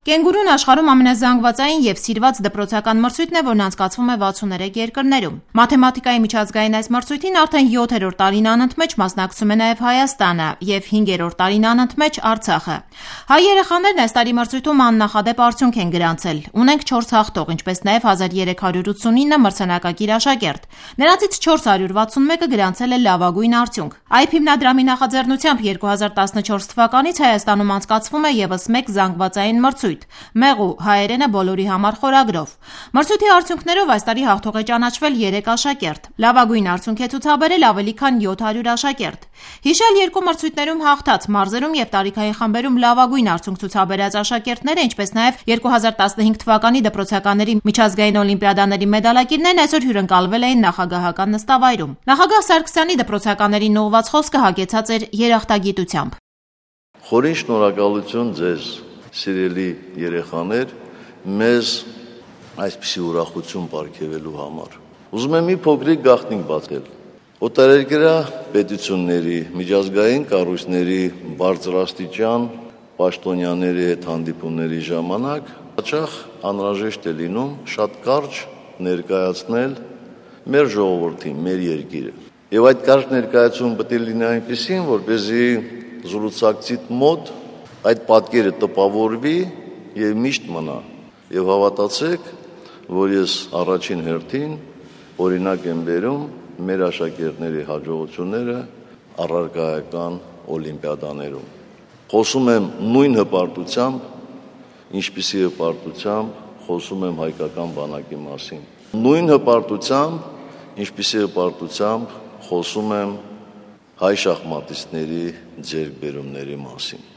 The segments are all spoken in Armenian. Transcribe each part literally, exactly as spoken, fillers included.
Կենգուրուն աշխարհում ամենազանգվածային եւ սիրված դպրոցական մրցույթն է, որն անցկացվում է վաթսուններեք երկրներում։ Մաթեմատիկայի միջազգային այս մրցույթին արդեն յոթերորդ տարին անընդմեջ մասնակցում է նաեւ Հայաստանը եւ հինգերորդ տարին անընդմեջ Արցախը։ Հայ երեխաներն այս տարի մրցույթում աննախադեպ արդյունք են գրանցել։ Ունենք չորս հաղթող, ինչպես նաեւ հազար երեք հարյուր ութսունինը մրցանակակիր աշակերտ։ Նրանցից չորս հարյուր վաթսունմեկը գրանցել է լավագույն արդյունք։ Այ փ հիմնադրամի նախաձեռնությամբ երկու հազար տասնչորս թվականից Հայաստանում անցկացվում է եւս մեկ զանգվածային մրցույթ՝ Մեղու հայերենը բոլորի համար խորագրով։ Մրցույթի արդյունքներով այս տարի հաղթող է ճանաչվել երեք աշակերտ։ Լավագույն արդյունք է ցուցաբերել ավելի քան յոթ հարյուր աշակերտ։ Հիշել երկու մրցույթներում հաղթած, մարզերում եւ տարիքային խմբերում լավագույն արդյունք ցուցաբերած աշակերտները, ինչպես նաեւ երկու հազար տասնհինգ թվականի դպրոցականների միջազգային օլիմպիադաների մեդալակիրներն այսօր հյուրընկալվել էին նախագահական նստավայրում։ Նախագահ Սարգսյանի դպրոցականներին ուղղված խոսքը հագեցած էր երախտագիտությամբ։ Խորին շնորհակալություն ձեզ, սիրելի երեխաներ, մեզ այսպիսի ուրախություն պարգևելու համար։ Ուզում եմ մի փոքրիկ գաղտնիք բացել։ Օտարերկրյա պետությունների, միջազգային կառույցների բարձրաստիճան պաշտոնյաների հետ հանդիպումների ժամանակ հաճախ անհրաժեշտ է լինում շատ կարճ ներկայացնել մեր ժողովրդին, մեր երկիրը։ Եվ այդ կարճ ներկայացումը պետք է լինի այնպիսին, որպեսզի զրուցակցիդ մոտ այդ պատկերը տպավորվի եւ միշտ մնա։ Եվ հավատացեք, որ ես առաջին հերթին օրինակ եմ բերում մեր աշակերտների հաջողությունները առարկայական օլիմպիադաներում։ Խոսում եմ նույն հպարտությամբ, ինչպիսի հպարտությամբ խոսում եմ հայկական բանակի մասին։ Նույն հպարտությամբ, ինչպիսի հպարտությամբ խոսում եմ հայ շախմատիստների ձեռքբերումների մասին։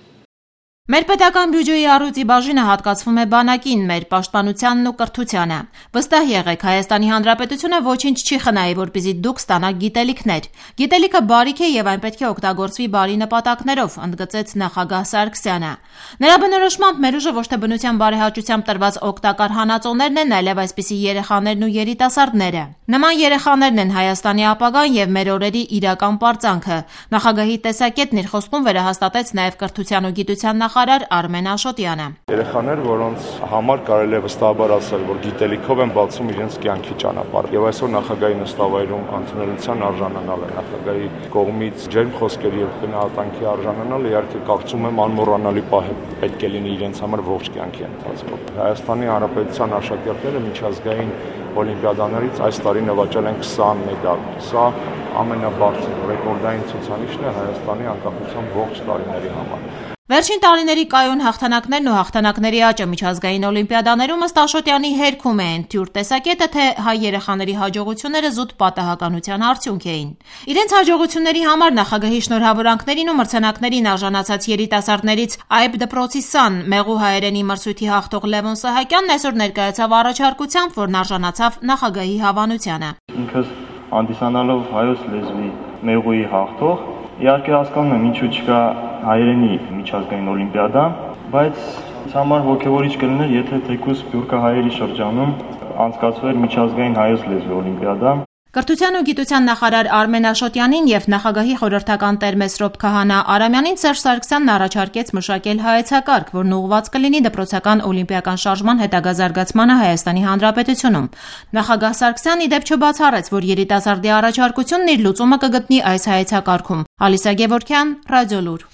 Մեր պետական բյուջեի առյուծի բաժինը հատկացվում է բանակին, մեր պաշտպանությանն ու կրթությանը։ Վստահ եղեք, Հայաստանի Հանրապետությունը ոչինչ չի խնայի, որպեսզի դուք ստանաք գիտելիքներ։ Գիտելիքը բարիք է եւ այն պետք է օգտագործվի բարի նպատակներով, ընդգծեց նախագահ Սարգսյանը։ Նրա բնորոշմամբ մեր ուժը ոչ թե բնության բարեհաճությամբ տրված օգտակար հանածոներն են, այլև այսպիսի երեխաներն ու երիտասարդները։ Նման երեխաներն են Հայաստանի ապագան եւ մեր օրերի իրական պարծանքը։ Նախագահի տեսակետն իր խոսքում վերահաստատեց նաեւ կրթության ու գիտության նախարար Արմեն Աշոտյանը։ Երեխաներ, որոնց համար կարելի է վստահաբար ասել, որ գիտելիքով են բացում իրենց կյանքի ճանապարհը։ Եվ այսօր նախագահի նստավայրում ընդունելության արժանանալ է, նախագահի կողմից ջերմ խոսքերի եւ գնահատանքի արժանանալ, իհարկե կարծում եմ անմոռանալի պահ պետք է լինի իրենց համար ողջ կյանքի ընթացքում։ Հայաստանի Հանրապետության աշակերտները միջազգային օլիմպիադաներից այս տարի նվաճել են քսան մեդալ։ Սա ամենաբարձր ռեկորդային ցուցանիշն է Հայաստանի անկախության ողջ տարիների համար։ Վերջին տարիների կայուն հաղթանակներն ու հաղթանակների աճը միջազգային օլիմպիադաներում ըստ Աշոտյանի հերքում են թյուր տեսակետը, թե հայ երեխաների հաջողությունները զուտ պատահականության արդյունք էին։ Իրենց հաջողությունների համար նախագահի շնորհավորանքներին ու մրցանակներին արժանացած երիտասարդներից Այբ դպրոցի սան Մեղու հայերենի մրցույթի հաղթող Լևոն Սահակյանն այսօր ներկայացավ առաջարկությամբ, որն արժանացավ նախագահի հավանությանը։ Ինքս հանդիսանալով հայոց լեզվի Մեղուի հաղթող, իհարկե հասկանում եմ ինչու չկա հայերենի միջազգային օլիմպիադա, բայց ինձ համար ոգևորիչ կլիներ, եթե թեկուզ սփյուռքահայերի շրջանում անցկացվեր միջազգային հայոց լեզվի օլիմպիադա։ Կրթության ու գիտության նախարար Արմեն Աշոտյանին եւ նախագահի խորհրդական տեր Մեսրոպ Քահանա Արամյանին Սերժ Սարգսյանն առաջարկեց մշակել հայեցակարգ, որն ուղղված կլինի դպրոցական օլիմպիական շարժման հետագա զարգացմանը Հայաստանի Հանրապետությունում։ Նախագահ Սարգսյանն ի դեպ չբացառեց, որ երիտասարդի առաջարկությունն իր լուծումը կգտնի այս հայեցակարգում։ Ալիսա Գևորգյան, Ռադիոլուր։